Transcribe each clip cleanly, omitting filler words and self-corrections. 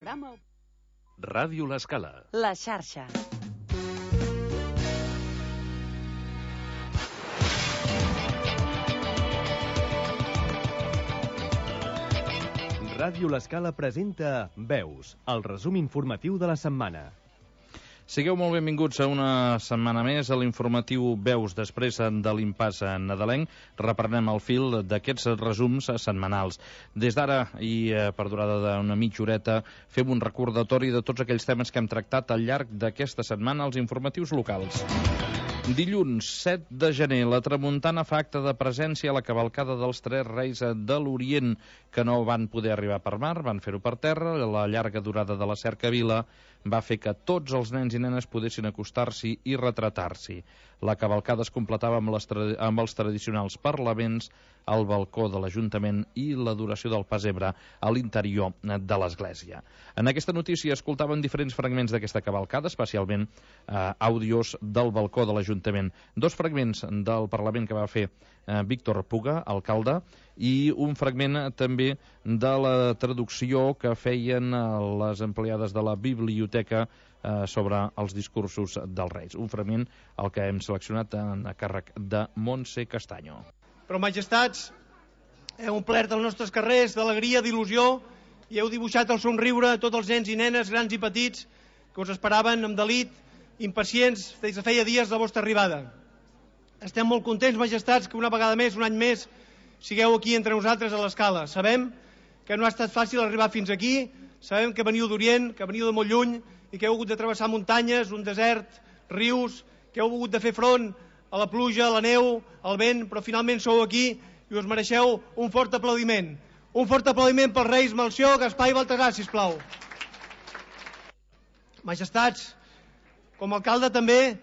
programa... Ràdio L'Escala. La xarxa. Ràdio L'Escala presenta Veus, el resum informatiu de la setmana. Sigueu molt benvinguts a una setmana més a l'informatiu Veus. Després de l'impàs nadalenc, reprenem el fil d'aquests resums setmanals. Des d'ara i per durada d'una mitja horeta fem un recordatori de tots aquells temes que hem tractat al llarg d'aquesta setmana als informatius locals. Dilluns 7 de gener, la tramuntana fa acte de presència a la cavalcada dels Tres Reis de l'Orient, que no van poder arribar per mar, van fer-ho per terra. La llarga durada de la cercavila va fer que tots els nens i nenes poguessin acostar-s'hi i retratar-s'hi. La cavalcada es completava amb els tradicionals parlaments al balcó de l'Ajuntament i l'adoració del pessebre a l'interior de l'església. En aquesta notícia escoltàvem diferents fragments d'aquesta cavalcada, especialment àudios del balcó de l'Ajuntament. Dos fragments del Parlament que va fer Víctor Puga, alcalde, i un fragment també de la traducció que feien les empleades de la biblioteca sobre els discursos dels Reis. Un fragment el que hem seleccionat a càrrec de Montse Castanyo. Però, majestats, heu omplert els nostres carrers d'alegria, d'il·lusió, i heu dibuixat el somriure a tots els nens i nenes, grans i petits, que us esperaven amb delit, impacients, des de feia dies de la vostra arribada. Estem molt contents, majestats, que una vegada més, un any més, sigueu aquí entre nosaltres a l'Escala. Sabem que no ha estat fàcil arribar fins aquí, sabem que veniu d'Orient, que veniu de molt lluny, i que heu hagut de travessar muntanyes, un desert, rius, que heu hagut de fer front a la pluja, a la neu, al vent, però finalment sou aquí i us mereixeu un fort aplaudiment. Un fort aplaudiment pels Reis Melcior, Gaspar i Baltasar, sisplau. Majestats, com a alcalde també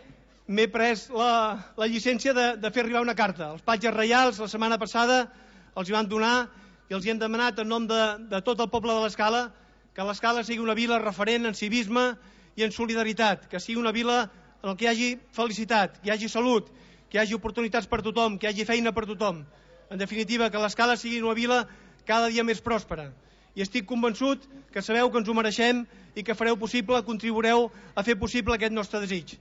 m'he pres la llicència de fer arribar una carta. Els patges reials la setmana passada els hi van donar i els hi hem demanat en nom de tot el poble de l'Escala que l'Escala sigui una vila referent en civisme i en solidaritat, que sigui una vila en què hi hagi felicitat, que hi hagi salut, que hi hagi oportunitats per tothom, que hi hagi feina per tothom. En definitiva, que l'Escala sigui una vila cada dia més pròspera. I estic convençut que sabeu que ens ho mereixem i que fareu possible, contribuireu a fer possible aquest nostre desig.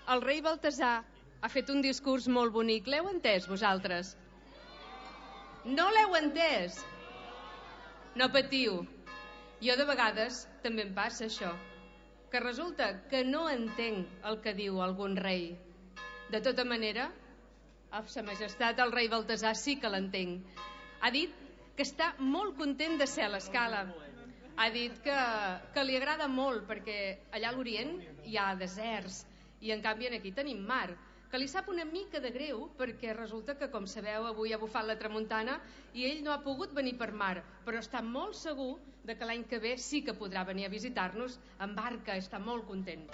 El rei Baltasar ha fet un discurs molt bonic. L'heu entès, vosaltres? No l'heu entès? No patiu. Jo de vegades també em passa això, que resulta que no entenc el que diu algun rei. De tota manera, Sa Majestat el rei Baltasar sí que l'entenc. Ha dit que està molt content de ser a l'Escala. Ha dit que li agrada molt perquè allà a l'Orient hi ha deserts i en canvi aquí tenim mar, que li sap una mica de greu perquè resulta que, com sabeu, avui ha bufat la tramuntana i ell no ha pogut venir per mar, però està molt segur de que l'any que ve sí que podrà venir a visitar-nos en barca, està molt content.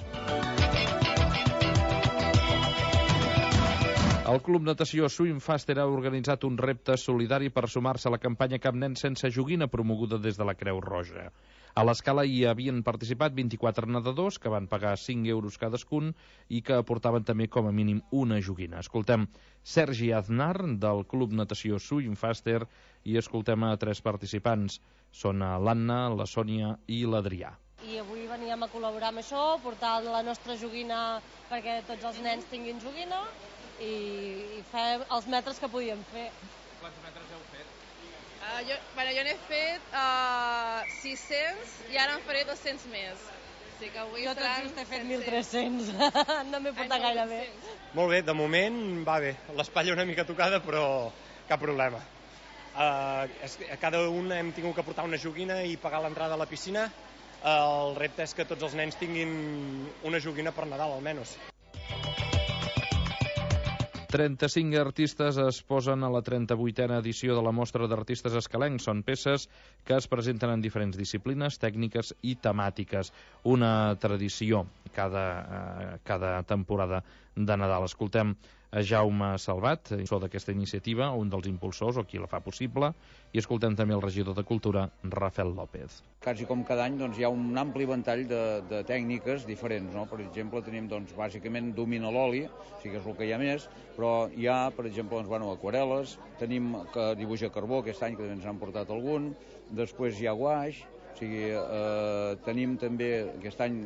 El Club Natació Swimfaster ha organitzat un repte solidari per sumar-se a la campanya Cap nen sense joguina promoguda des de la Creu Roja. A l'Escala hi havien participat 24 nedadors que van pagar 5 euros cadascun i que aportaven també com a mínim una joguina. Escoltem Sergi Aznar del Club Natació Swimfaster i escoltem a 3 participants. Són l'Anna, la Sònia i l'Adrià. I avui veníem a col·laborar amb això, portar la nostra joguina perquè tots els nens tinguin joguina i fer els metres que podíem fer. Quants metres heu fet? Jo n'he fet 600 i ara en faré 200 més. Sí que avui jo tot just he fet 1.300, no m'he portat gaire bé. Molt bé, de moment va bé. L'espatlla una mica tocada, però cap problema. Cada un hem tingut que portar una joguina i pagar l'entrada a la piscina. El repte és que tots els nens tinguin una joguina per Nadal, almenys. 35 artistes es posen a la 38a edició de la Mostra d'Artistes Escalencs. Són peces que es presenten en diferents disciplines, tècniques i temàtiques. Una tradició cada temporada de Nadal. Escoltem a Jaume Salvat, impulsor d'aquesta iniciativa, un dels impulsors o qui la fa possible, i escoltem també el regidor de Cultura, Rafael López. Quasi com cada any hi ha un ampli ventall de tècniques diferents. Per exemple, tenim bàsicament domina l'oli, sí que és el que hi ha més, però hi ha, per exemple, aquarel·les, tenim dibuix a carbó, aquest any que també ens han portat algun, després hi ha guaix, tenim també aquest any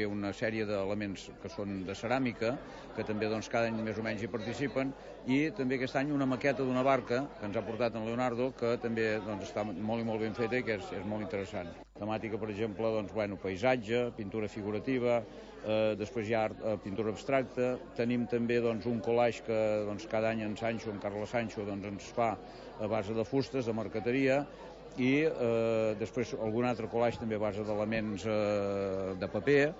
una sèrie d'elements que són de ceràmica, que també cada any més o menys hi participen, i també aquest any una maqueta d'una barca que ens ha portat en Leonardo, que també està molt i molt ben feta i que és molt interessant. Temàtica, per exemple, paisatge, pintura figurativa, després hi ha pintura abstracta, tenim també un collage que cada any en Carles Sancho, ens fa a base de fustes, de marqueteria, i després algun altre collage també a base d'elements de paper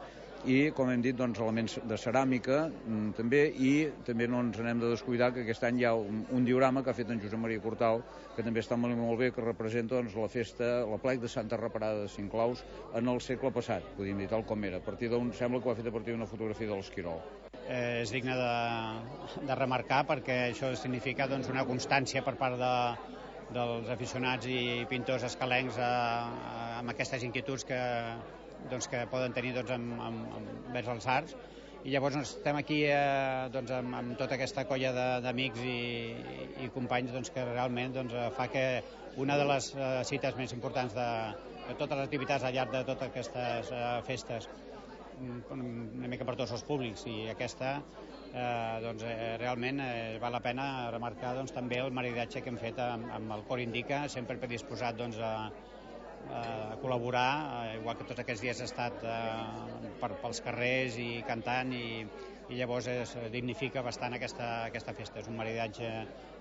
i, com hem dit, elements de ceràmica també, i també no ens n'hem de descuidar que aquest any hi ha un diorama que ha fet en Josep Maria Cortal, que també està molt bé, que representa la festa, la plec de Santa Reparada de Cinclaus en el segle passat, podríem dir tal com era. Sembla que ho ha fet a partir d'una fotografia de l'Esquirol. És digne de remarcar perquè això significa una constància per part dels aficionats i pintors escalencs amb aquestes inquietuds que poden tenir vers els arts. I llavors estem aquí amb tota aquesta colla d'amics i companys que realment fa que una de les cites més importants de totes les activitats al llarg de totes aquestes festes, una mica per tots els públics, i aquesta realment val la pena remarcar també el maridatge que hem fet amb el Cor Indica, sempre predisposat a col·laborar, igual que tots aquests dies ha estat pels carrers i cantant, i llavors dignifica bastant aquesta festa. És un maridatge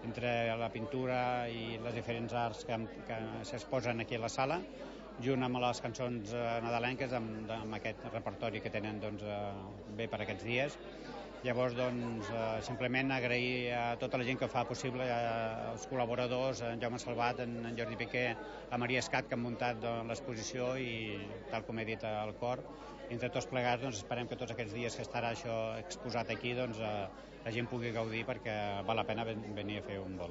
entre la pintura i les diferents arts que s'exposen aquí a la sala, junt amb les cançons nadalenques, amb aquest repertori que tenen bé per aquests dies. Llavors, simplement agrair a tota la gent que fa possible, als col·laboradors, en Jaume Salvat, en Jordi Piqué, a Maria Escat, que han muntat l'exposició, i, tal com he dit, al Cor. Entre tots plegats, esperem que tots aquests dies que estarà això exposat aquí, la gent pugui gaudir, perquè val la pena venir a fer un vol.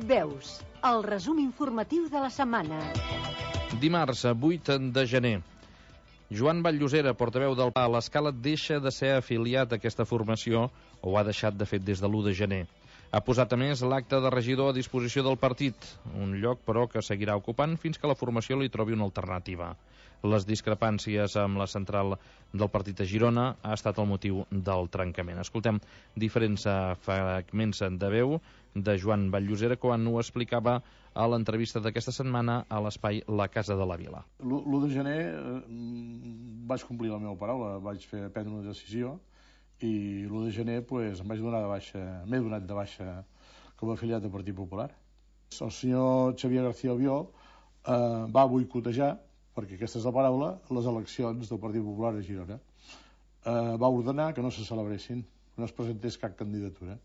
Veus, el resum informatiu de la setmana. Dimarts, 8 de gener. Joan Vall-llosera, portaveu del PA a l'Escala, deixa de ser afiliat a aquesta formació, o ho ha deixat de fet des de l'1 de gener. Ha posat a més l'acte de regidor a disposició del partit, un lloc però que seguirà ocupant fins que la formació li trobi una alternativa. Les discrepàncies amb la central del partit a Girona ha estat el motiu del trencament. Escoltem diferents fragments de veu de Joan Vall-llosera quan ho explicava a l'entrevista d'aquesta setmana a l'espai La Casa de la Vila. L'1 de gener vaig complir la meva paraula, vaig prendre una decisió, i l'1 de gener m'he donat de baixa com a afiliat del Partit Popular. El senyor Xavier García Albiol va boicotejar, perquè aquesta és la paraula, les eleccions del Partit Popular a Girona. Va ordenar que no se celebressin, que no es presentés cap candidatura.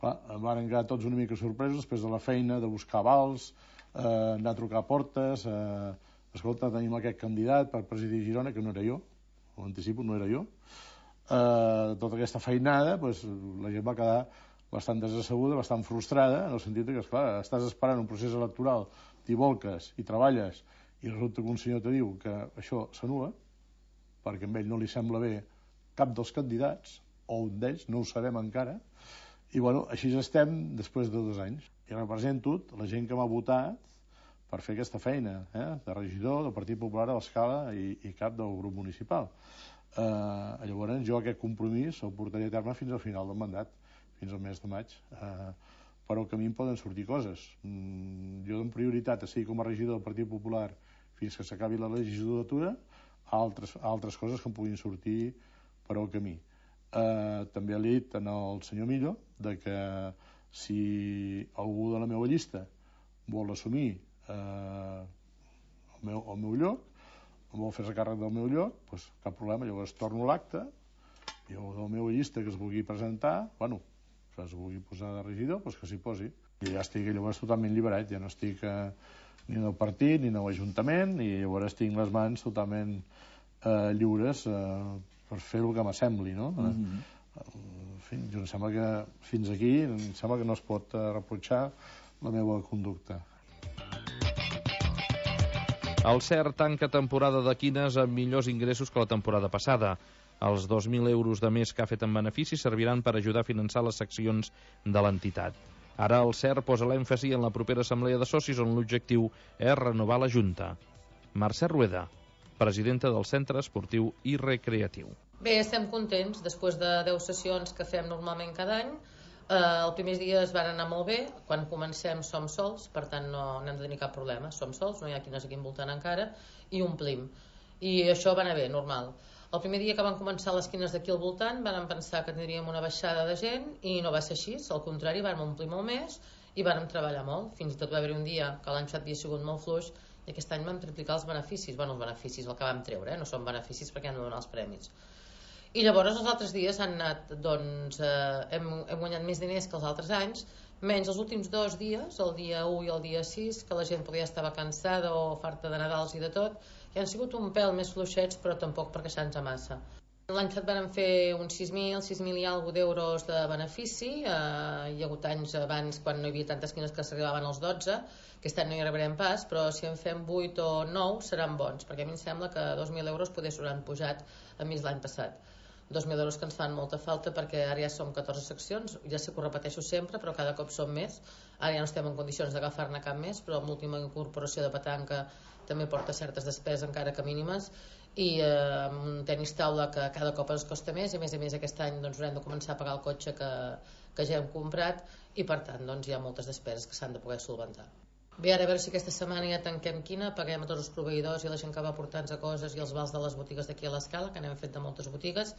Van quedar tots una mica sorpresos després de la feina de buscar avals, anar a trucar a portes, escolta, tenim aquest candidat per presidir Girona, que no era jo, ho anticipo, no era jo. Tota aquesta feinada, la gent va quedar bastant desasseguda, bastant frustrada, en el sentit que, esclar, estàs esperant un procés electoral, t'hi volques i treballes, i resulta que un senyor te diu que això s'anul·la, perquè a ell no li sembla bé cap dels candidats, o un d'ells, no ho sabem encara, i així estem després de 2 anys. I represento la gent que m'ha votat per fer aquesta feina, de regidor del Partit Popular a l'Escala i cap del grup municipal. Llavors jo aquest compromís el portaré a terme fins al final del mandat, fins al mes de maig. Per al camí poden sortir coses. Jo dono prioritat a seguir com a regidor del Partit Popular fins que s'acabi la legislatura, a altres coses que em puguin sortir per al camí. També li he dit al senyor Millo que si algú de la meva llista vol assumir el meu lloc, vol fer-se càrrec del meu lloc, cap problema, llavors torno l'acte, i el de la meva llista que es vulgui presentar, que es vulgui posar de regidor, que s'hi posi. I ja estic llavors totalment liberat, ja no estic ni en el partit, ni en l'Ajuntament, i llavors tinc les mans totalment lliures per fer el que m'assembli, no? En fi, em sembla que fins aquí em sembla que no es pot reprotxar la meva conducta. El CERT tanca temporada de quines amb millors ingressos que la temporada passada. Els 2.000 euros de més que ha fet en benefici serviran per ajudar a finançar les seccions de l'entitat. Ara el CERT posa l'èmfasi en la propera assemblea de socis on l'objectiu és renovar la Junta. Mercè Rueda, presidenta del Centre Esportiu i Recreatiu. Bé, estem contents. Després de 10 sessions que fem normalment cada any, els primers dies van anar molt bé. Quan comencem som sols, per tant no hem de tenir cap problema. Som sols, no hi ha quines aquí envoltant encara, i omplim. I això va anar bé, normal. El primer dia que van començar les quines d'aquí al voltant vam pensar que tindríem una baixada de gent i no va ser així, al contrari, vam omplir molt més i vam treballar molt. Fins i tot va haver un dia que l'any passat havia sigut molt fluix i aquest any vam triplicar els beneficis. Bueno, els beneficis, el que vam treure, no són beneficis perquè hem de donar els premis. I llavors els altres dies han anat, doncs, hem guanyat més diners que els altres anys, menys els últims 2 dies, el dia 1 i el dia 6, que la gent podia estar cansada o farta de Nadals i de tot, que han sigut un pèl més fluixets, però tampoc per queixar-nos massa. L'any passat vam fer uns 6.000 i alguna d'euros de benefici. Hi ha hagut anys abans quan no hi havia tantes quines que s'arribaven als 12, aquest any no hi arribarem pas, però si en fem 8 o 9 seran bons, perquè a mi em sembla que 2.000 euros poder s'hauran pujat a més l'any passat. 2.000 euros que ens fan molta falta perquè ara ja som 14 seccions, ja sé que ho repeteixo sempre, però cada cop som més. Ara ja no estem en condicions d'agafar-ne cap més, però amb l'última incorporació de petanca també porta certes despeses encara que mínimes, i amb un tenis taula que cada cop ens costa més, i a més aquest any doncs, haurem de començar a pagar el cotxe que ja hem comprat, i per tant doncs, hi ha moltes despeses que s'han de poder solventar. Bé, ara a veure si aquesta setmana ja tanquem quina, paguem a tots els proveïdors i la gent que va portant-nos coses i els vals de les botigues d'aquí a l'Escala, que n'hem fet de moltes botigues,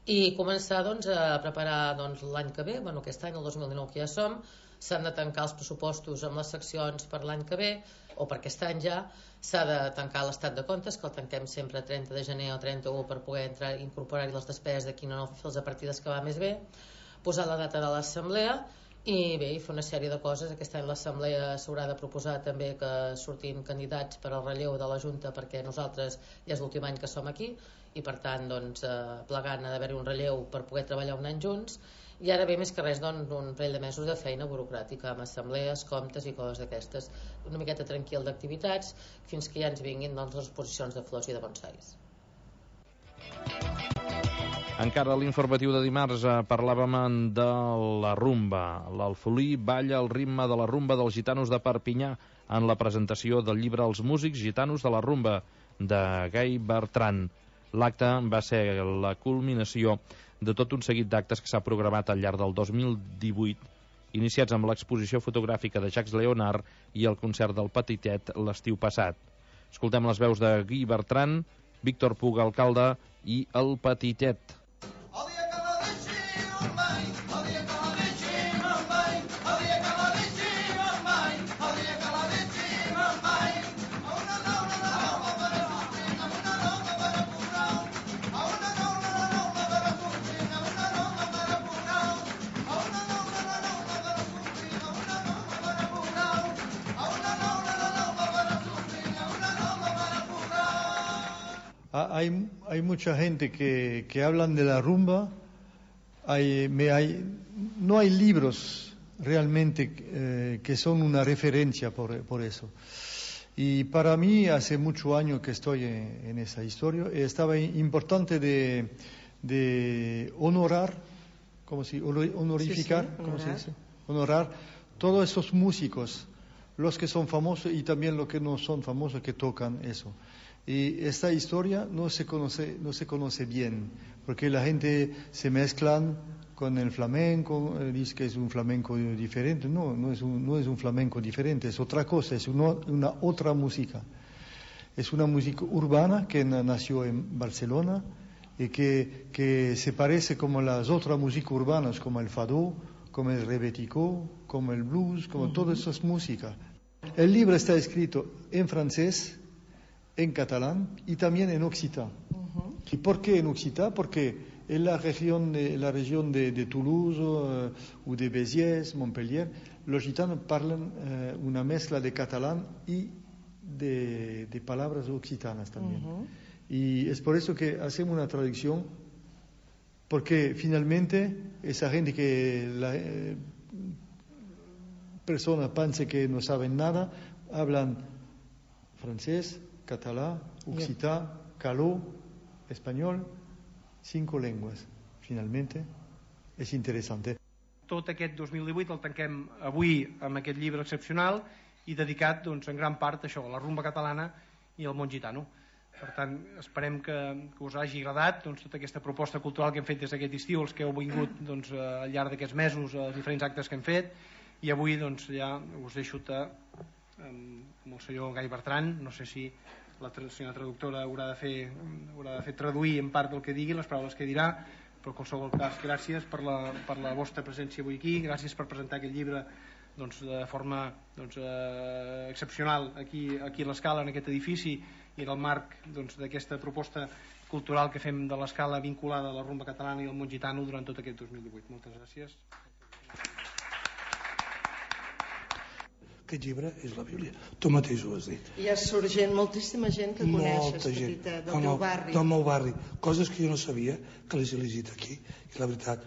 i començar doncs, a preparar doncs, l'any que ve, bueno, aquest any, el 2019 que ja som, s'han de tancar els pressupostos amb les seccions per l'any que ve, o per aquest any ja, s'ha de tancar l'estat de comptes, que el tanquem sempre a 30 de gener o 31 per poder entrar i incorporar-hi les despeses d'aquí no fer les partides que va més bé, posar la data de l'assemblea, i bé, i fer una sèrie de coses. Aquest any l'assemblea s'haurà de proposar també que surtin candidats per al relleu de la Junta, perquè nosaltres ja és l'últim any que som aquí i per tant doncs, plegant ha d'haver-hi un relleu per poder treballar un any junts, i ara ve més que res doncs, un parell de mesos de feina burocràtica amb assemblees, comptes i coses d'aquestes, una miqueta tranquil d'activitats fins que ja ens vinguin doncs, les exposicions de flors i de bonsais. Encara a l'informatiu de dimarts parlàvem de la rumba. L'Alfolí balla al ritme de la rumba dels gitanos de Perpinyà en la presentació del llibre Els músics gitanos de la rumba de Gai Bertran. L'acte va ser la culminació de tot un seguit d'actes que s'ha programat al llarg del 2018, iniciats amb l'exposició fotogràfica de Jacques Leonard i el concert del Petitet l'estiu passat. Escoltem les veus de Guy Bertran, Víctor Puga, alcalde, i el Petitet. Hay mucha gente que hablan de la rumba, no hay libros realmente que son una referencia por eso. Y para mí hace muchos años que estoy en esa historia, estaba importante de honorar, honorificar, sí, ¿cómo se dice? Honorar todos esos músicos, los que son famosos y también los que no son famosos que tocan eso. Y esta historia no se conoce bien, porque la gente se mezclan con el flamenco, dice que es un flamenco diferente. No es un flamenco diferente, es otra cosa, es una otra música. Es una música urbana que nació en Barcelona y que se parece como las otras músicas urbanas, como el fado, como el rebetiko, como el blues, como todas esas músicas. El libro está escrito en francés, en catalán y también en occitán. ¿Y por qué en occitán? Porque en la región de Toulouse o de Béziers, Montpellier, los gitanos hablan una mezcla de catalán y de palabras occitanas también. Y es por eso que hacemos una traducción, porque finalmente esa gente que la persona piensa que no saben nada, hablan francés, catalán, occità, caló, español, 5 lenguas. Finalmente, és interessant. Tot aquest 2018 el tanquem avui amb aquest llibre excepcional i dedicat doncs, en gran part a això, a la rumba catalana i al món gitano. Per tant, esperem que us hagi agradat doncs, tota aquesta proposta cultural que hem fet des d'aquest estiu, els que heu vingut doncs, al llarg d'aquests mesos, els diferents actes que hem fet, i avui doncs, ja us deixo amb el senyor Gai Bertran. No sé si la senyora traductora haurà de fer traduir en part del que digui, les paraules que dirà, però en qualsevol cas, gràcies per la vostra presència avui aquí, gràcies per presentar aquest llibre doncs, de forma excepcional aquí a l'Escala, en aquest edifici, i en el marc d'aquesta proposta cultural que fem de l'Escala vinculada a la rumba catalana i al món gitano durant tot aquest 2018. Moltes gràcies. Aquest llibre és la Bíblia, tu mateix ho has dit. Hi ha sorgent moltíssima gent que coneixes, petita, del teu barri. Del meu barri, coses que jo no sabia que les he llegit aquí, i la veritat,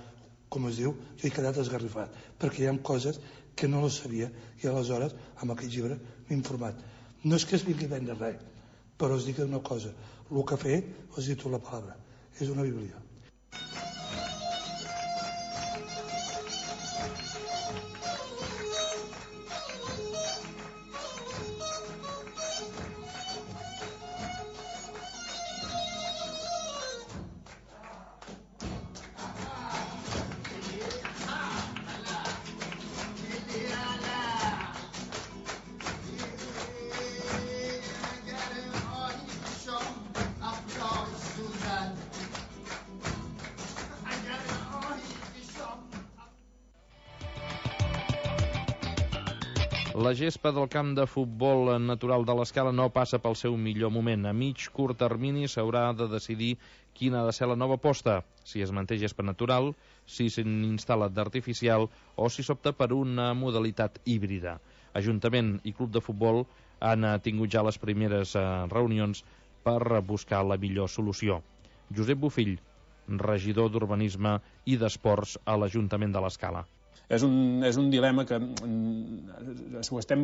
com es diu, jo he quedat esgarrifat, perquè hi ha coses que no les sabia, i aleshores amb aquest llibre m'he informat. No és que es vingui a vendre res, però us dic una cosa, el que ha fet, us he dit la paraula, és una Bíblia. La gespa del camp de futbol natural de l'Escala no passa pel seu millor moment. A mig curt termini s'haurà de decidir quina ha de ser la nova aposta, si es manté gespa natural, si s'instal·la d'artificial o si s'opta per una modalitat híbrida. Ajuntament i club de futbol han tingut ja les primeres reunions per buscar la millor solució. Josep Bofill, regidor d'Urbanisme i d'Esports a l'Ajuntament de l'Escala. És un dilema que ho estem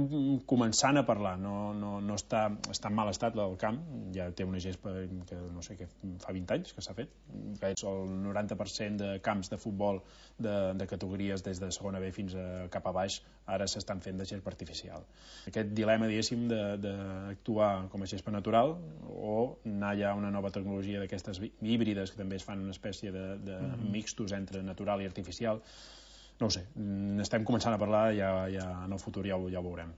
començant a parlar, no està en mal estat el camp, ja té una gespa que no sé, que fa 20 anys que s'ha fet, que és el 90% de camps de futbol de categories des de segona B fins a cap a baix, ara s'estan fent de gespa artificial. Aquest dilema, diguéssim, d'actuar com a gespa natural o anar ja a una nova tecnologia d'aquestes híbrides que també es fan una espècie de mixtos entre natural i artificial, no ho sé, estem començant a parlar, ja en el futur ja ho veurem.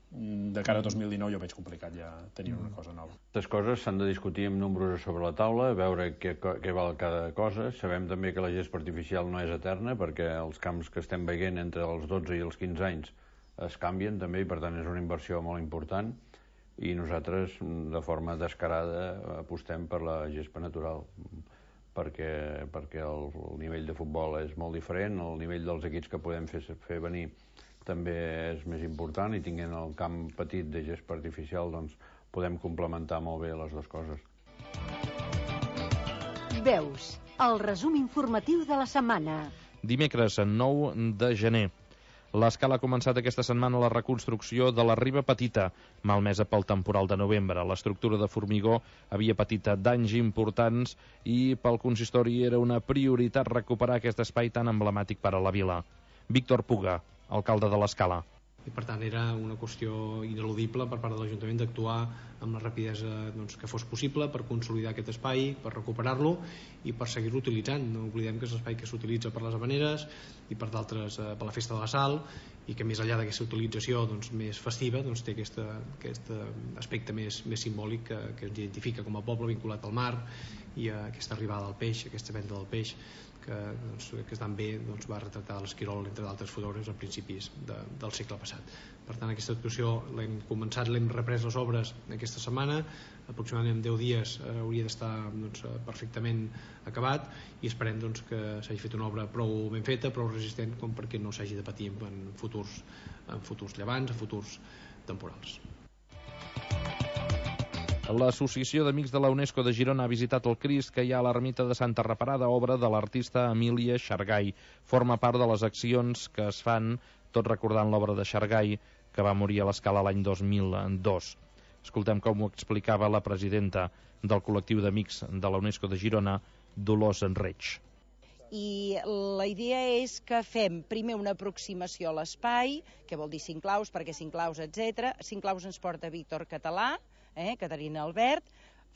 De cara a 2019 jo veig complicat ja tenir una cosa nova. Aquestes coses s'han de discutir amb números sobre la taula, veure què val cada cosa. Sabem també que la gespa artificial no és eterna, perquè els camps que estem veient entre els 12 i els 15 anys es canvien també, i per tant és una inversió molt important, i nosaltres de forma descarada apostem per la gespa natural, perquè el nivell de futbol és molt diferent, el nivell dels equips que podem fer venir també és més important, i tinguent el camp petit de gespa artificial doncs podem complementar molt bé les dues coses. Veus, el resum informatiu de la setmana. Dimecres, 9 de gener. L'Escala ha començat aquesta setmana la reconstrucció de la Riba Petita, malmesa pel temporal de novembre. L'estructura de formigó havia patit danys importants i pel consistori era una prioritat recuperar aquest espai tan emblemàtic per a la vila. Víctor Puga, alcalde de l'Escala. I per tant era una qüestió ineludible per part de l'Ajuntament d'actuar amb la rapidesa que fos possible per consolidar aquest espai, per recuperar-lo i per seguir-lo utilitzant. No oblidem que és l'espai que s'utilitza per les havaneres i per d'altres per la Festa de la Sal, i que més enllà d'aquesta utilització més festiva té aquest aspecte més simbòlic que ens identifica com a poble vinculat al mar i a aquesta arribada del peix, aquesta venda del peix que estan bé, va retratar l'Esquirol, entre d'altres fotògrafs, a principis del segle passat. Per tant, aquesta actuació l'hem començat, l'hem reprès les obres aquesta setmana, aproximadament en 10 dies hauria d'estar perfectament acabat, i esperem que s'hagi fet una obra prou ben feta, prou resistent com perquè no s'hagi de patir en futurs llevants, en futurs temporals. L'Associació d'Amics de la UNESCO de Girona ha visitat el Crist que hi ha a l'ermita de Santa Reparada, obra de l'artista Emília Xargay. Forma part de les accions que es fan, tot recordant l'obra de Xargay, que va morir a l'Escala l'any 2002. Escoltem com ho explicava la presidenta del col·lectiu d'Amics de la UNESCO de Girona, Dolors Enreig. I la idea és que fem primer una aproximació a l'espai, que vol dir Cinclaus, perquè Cinclaus, etc. Cinclaus ens porta Víctor Català, Caterina Albert,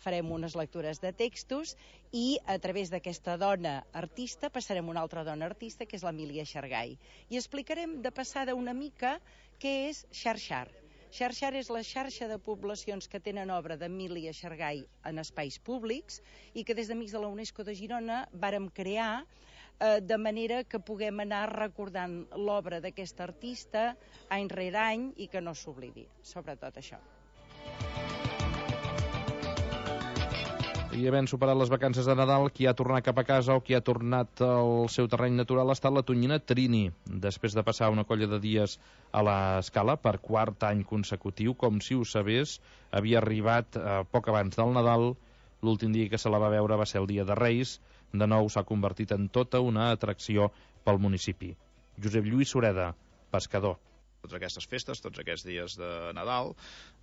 farem unes lectures de textos i a través d'aquesta dona artista passarem una altra dona artista, que és l'Emília Xargay. I explicarem de passada una mica què és Xarxar. Xarxar és la xarxa de poblacions que tenen obra d'Emília Xargay en espais públics i que des d'Amics de la UNESCO de Girona vàrem crear de manera que puguem anar recordant l'obra d'aquesta artista any rere any i que no s'oblidi, sobretot això. I havent superat les vacances de Nadal, qui ha tornat cap a casa o qui ha tornat al seu terreny natural ha estat la tonyina Trini. Després de passar una colla de dies a l'Escala per quart any consecutiu, com si ho sabés, havia arribat poc abans del Nadal. L'últim dia que se la va veure va ser el dia de Reis. De nou s'ha convertit en tota una atracció pel municipi. Josep Lluís Sureda, pescador. Totes aquestes festes, tots aquests dies de Nadal,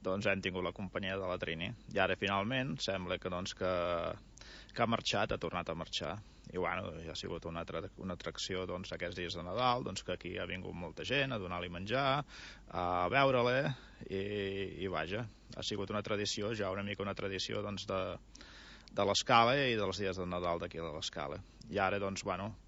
hem tingut la companyia de la Trini. I ara, finalment, sembla que ha marxat, ha tornat a marxar. I, ha sigut una atracció aquests dies de Nadal, que aquí ha vingut molta gent a donar-li menjar, a veure-la, i vaja, ha sigut una tradició, ja una mica una tradició de l'Escala i dels dies de Nadal d'aquí de l'Escala. I ara,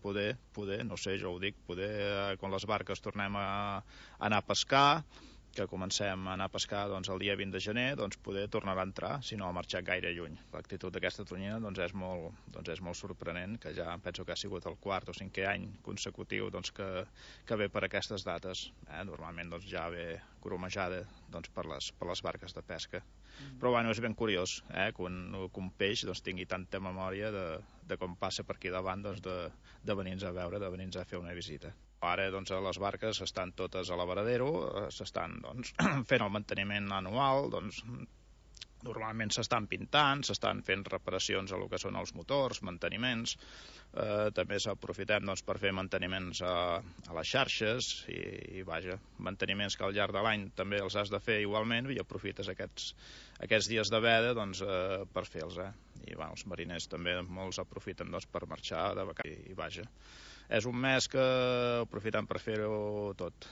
poder, no sé, jo ho dic, poder, quan les barques tornem a anar a pescar, que comencem a anar a pescar el dia 20 de gener, poder tornar a entrar, si no ha marxat gaire lluny. L'actitud d'aquesta tonyina és molt sorprenent, que ja penso que ha sigut el quart o cinquè any consecutiu que ve per aquestes dates. Normalment ja ve gromejada per les barques de pesca. Però és ben curiós que un peix tingui tanta memòria de com passa per aquí davant de venir-nos a veure, de venir-nos a fer una visita. Ara les barques estan totes a la varadero, s'estan fent el manteniment anual, normalment s'estan pintant, s'estan fent reparacions a lo que són els motors, manteniments, també s'aprofitem per fer manteniments a les xarxes i vaja, manteniments que al llarg de l'any també els has de fer igualment i aprofites aquests dies de veda per fer-los. I els mariners també molts aprofiten per marxar de vacances i vaja. És un mes que aprofitem per fer-ho tot.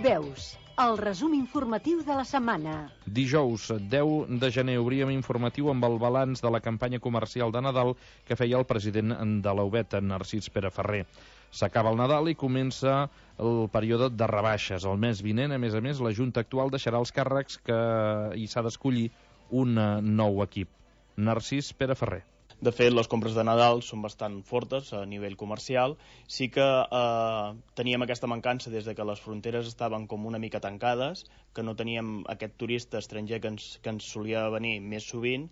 Veus, el resum informatiu de la setmana. Dijous, 10 de gener, obríem informatiu amb el balanç de la campanya comercial de Nadal que feia el president de l'Aubet, Narcís Pere Ferrer. S'acaba el Nadal i comença el període de rebaixes. El mes vinent, a més, la Junta actual deixarà els càrrecs que hi s'ha d'escollir un nou equip. Narcís Pere Ferrer. De fet, les compres de Nadal són bastant fortes a nivell comercial. Sí que teníem aquesta mancança des de que les fronteres estaven com una mica tancades, que no teníem aquest turista estranger que ens solia venir més sovint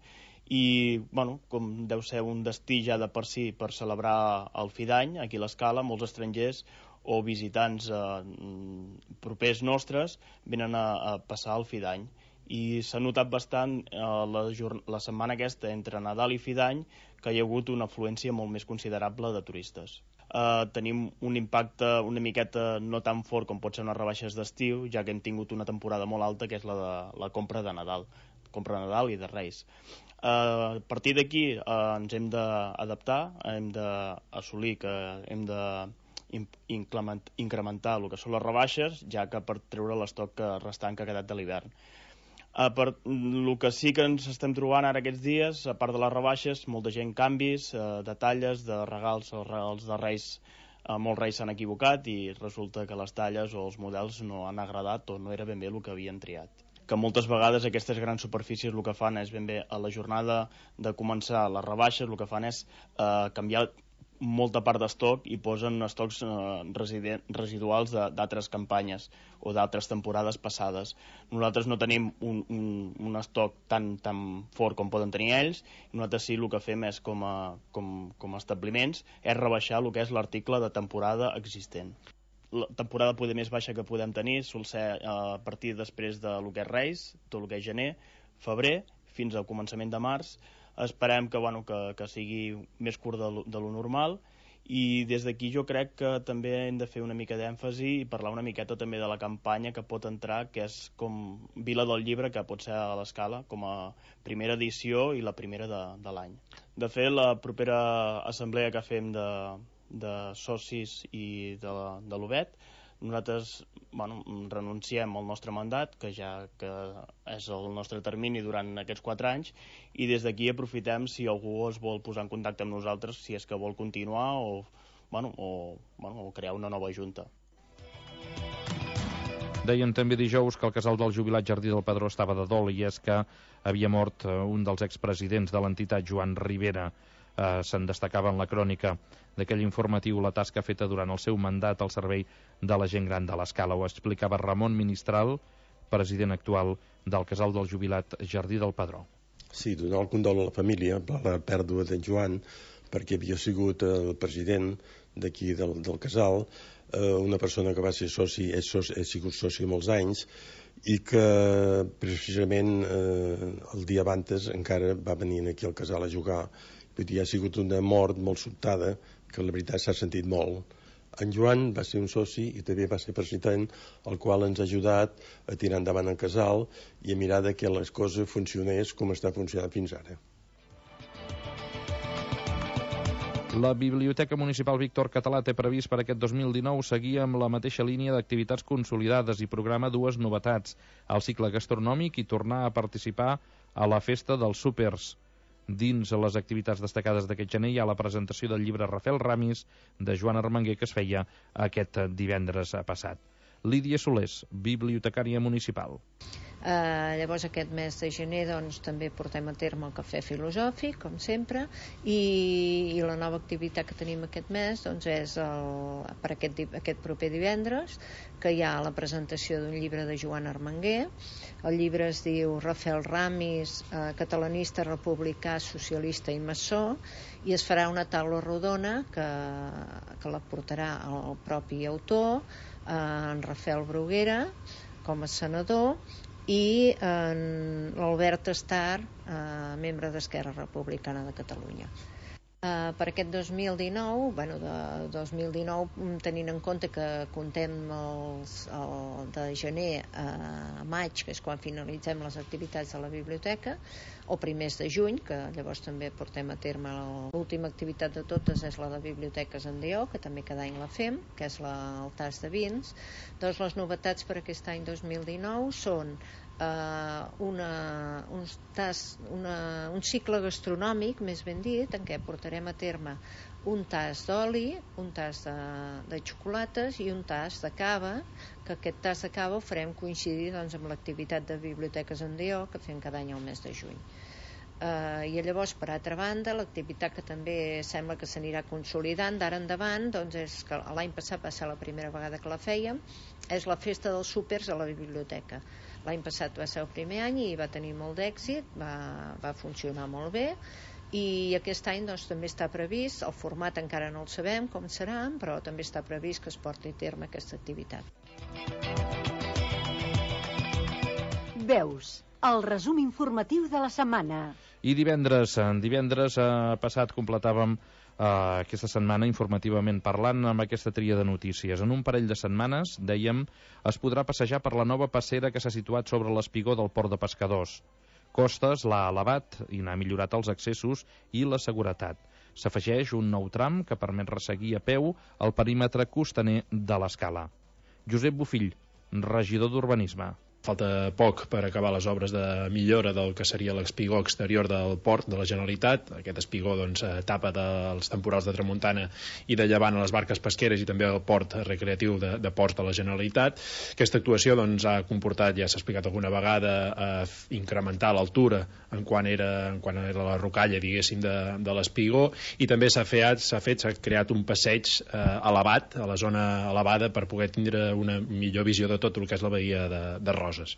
i, com deu ser un destí ja de per si per celebrar el fi d'any, aquí a l'Escala, molts estrangers o visitants propers nostres venen a passar el fi d'any. I s'ha notat bastant la setmana aquesta entre Nadal i fi d'any que hi ha hagut una afluència molt més considerable de turistes. Tenim un impacte una miqueta no tan fort com pot ser unes rebaixes d'estiu, ja que hem tingut una temporada molt alta, que és la de la compra de Nadal, compra de Nadal i de Reis. A partir d'aquí ens hem d'adaptar, hem d'assolir que hem d'incrementar el que són les rebaixes, ja que per treure l'estoc restant que ha quedat de l'hivern. El que sí que ens estem trobant ara aquests dies, a part de les rebaixes, molta gent canvis, detalles de regals, els regals de Reis, molts Reis s'han equivocat i resulta que les talles o els models no han agradat o no era ben bé el que havien triat. que moltes vegades aquestes grans superfícies el que fan és ben bé a la jornada de començar les rebaixes, el que fan és canviar molta part d'estoc i posen estocs residuals d'altres campanyes o d'altres temporades passades. Nosaltres no tenim un estoc tan fort com poden tenir ells, nosaltres sí el que fem és com a establiments és rebaixar el que és l'article de temporada existent. La temporada poder més baixa que podem tenir sol ser a partir després de lo que és Reis, tot el que és gener, febrer, fins al començament de març. Esperem que sigui més curt de lo normal i des d'aquí jo crec que també hem de fer una mica d'èmfasi i parlar una miqueta també de la campanya que pot entrar, que és com Vila del Llibre, que pot ser a l'Escala com a primera edició i la primera de l'any. De fet, la propera assemblea que fem de socis i de l'UBET, nosaltres renunciem al nostre mandat, que és el nostre termini durant aquests 4 anys, i des d'aquí aprofitem si algú es vol posar en contacte amb nosaltres, si és que vol continuar o crear una nova junta. Deien també dijous que el casal del jubilat Jardí del Pedró estava de dol, i és que havia mort un dels expresidents de l'entitat, Joan Rivera. Se'n destacava en la crònica d'aquell informatiu la tasca feta durant el seu mandat al servei de la gent gran de l'Escala. Ho explicava Ramon Ministral, president actual del casal del jubilat Jardí del Pedró. Sí, donar el condol a la família per la pèrdua d'en Joan, perquè havia sigut el president d'aquí del casal, una persona que va ser soci, ha sigut soci molts anys, i que precisament el dia abans encara va venir aquí al casal a jugar. Vull dir, ha sigut una mort molt sobtada, que la veritat s'ha sentit molt. En Joan va ser un soci i també va ser president, el qual ens ha ajudat a tirar endavant el casal i a mirar que les coses funcionés com està funcionant fins ara. La Biblioteca Municipal Víctor Català té previst per aquest 2019 seguir amb la mateixa línia d'activitats consolidades i programa 2 novetats: al cicle gastronòmic i tornar a participar a la festa dels súpers. Dins les activitats destacades d'aquest gener hi ha la presentació del llibre Rafael Ramis de Joan Armenguer, que es feia aquest divendres passat. Lídia Solés, bibliotecària municipal. Llavors aquest mes de gener també portem a terme el cafè filosòfic, com sempre, i la nova activitat que tenim aquest mes és per aquest proper divendres, que hi ha la presentació d'un llibre de Joan Armenguer. El llibre es diu Rafael Ramis, catalanista, republicà, socialista i maçó, i es farà una taula rodona que la portarà el propi autor, en Rafael Bruguera, com a senador, i l'Albert Estar, membre d'Esquerra Republicana de Catalunya. Per aquest 2019, tenint en compte que comptem de gener a maig, que és quan finalitzem les activitats de la biblioteca, o primers de juny, que llavors també portem a terme l'última activitat de totes, és la de Biblioteques en Dió, que també cada any la fem, que és el tas de vins. Doncs les novetats per aquest any 2019 són un cicle gastronòmic, més ben dit, en què portarem a terme un tas d'oli, un tas de xocolates i un tas de cava, que aquest tas de cava ho farem coincidir amb l'activitat de Biblioteques en Dió, que fem cada any al mes de juny. I llavors, per altra banda, l'activitat que també sembla que s'anirà consolidant d'ara endavant, és que l'any passat va ser la primera vegada que la fèiem, és la festa dels súpers a la biblioteca. L'any passat va ser el primer any i va tenir molt d'èxit, va funcionar molt bé, i aquest any també està previst, el format encara no el sabem com serà, però també està previst que es porti a terme aquesta activitat. Veus, el resum informatiu de la setmana. I divendres passat completàvem aquesta setmana informativament parlant amb aquesta tria de notícies. En un parell de setmanes, dèiem, es podrà passejar per la nova passera que s'ha situat sobre l'espigó del port de pescadors. Costes l'ha elevat i n'ha millorat els accessos i la seguretat. S'afegeix un nou tram que permet resseguir a peu el perímetre costaner de l'Escala. Josep Bofill, regidor d'Urbanisme. falta poc per acabar les obres de millora del que seria l'espigó exterior del port de la Generalitat. Aquest espigó tapa dels temporals de tramuntana i de llevant a les barques pesqueres i també el port recreatiu de ports de la Generalitat. Aquesta actuació ha comportat, ja s'ha explicat alguna vegada, incrementar l'altura en quan era la rocalla, diguéssim, de l'espigó, i també s'ha creat un passeig elevat, a la zona elevada, per poder tindre una millor visió de tot el que és la bahia de Roses.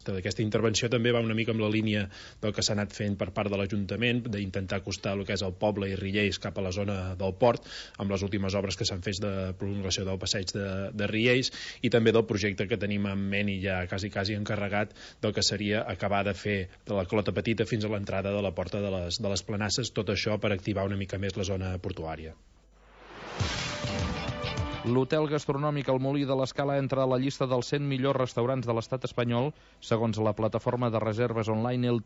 Aquesta intervenció també va una mica amb la línia del que s'ha anat fent per part de l'Ajuntament, d'intentar acostar el que és el poble i Riells cap a la zona del port, amb les últimes obres que s'han fet de prolongació del passeig de Riells, i també del projecte que tenim en ment i ja quasi encarregat del que seria acabar de fer de la Clota Petita fins a l'entrada de la porta de les Planasses, tot això per activar una mica més la zona portuària. L'hotel gastronòmic El Molí de l'Escala entra a la llista dels 100 millors restaurants de l'estat espanyol, segons la plataforma de reserves online El